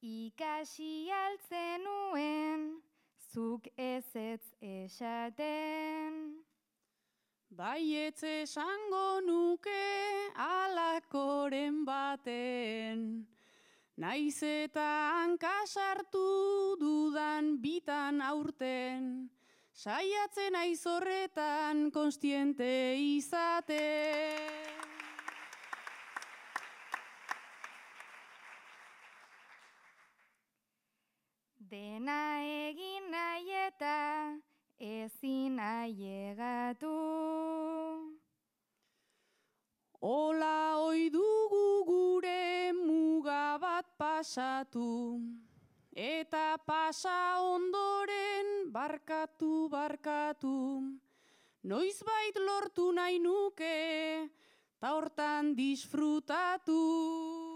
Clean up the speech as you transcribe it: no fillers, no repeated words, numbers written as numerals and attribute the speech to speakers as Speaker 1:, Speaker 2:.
Speaker 1: ikasi altzenuen, zuk ezetz esaten.
Speaker 2: Baietz esango nuke alakoren baten, naiz eta hankasartu dudan bitan aurten, saiatzen naiz horretan konstiente izaten.
Speaker 1: Dena egin nahi eta ezin ailegatu.
Speaker 2: Ola oi dugu gure muga bat pasatu, eta pasa ondoren barkatu, noizbait lortu nahi nuke, ta hortan disfrutatu.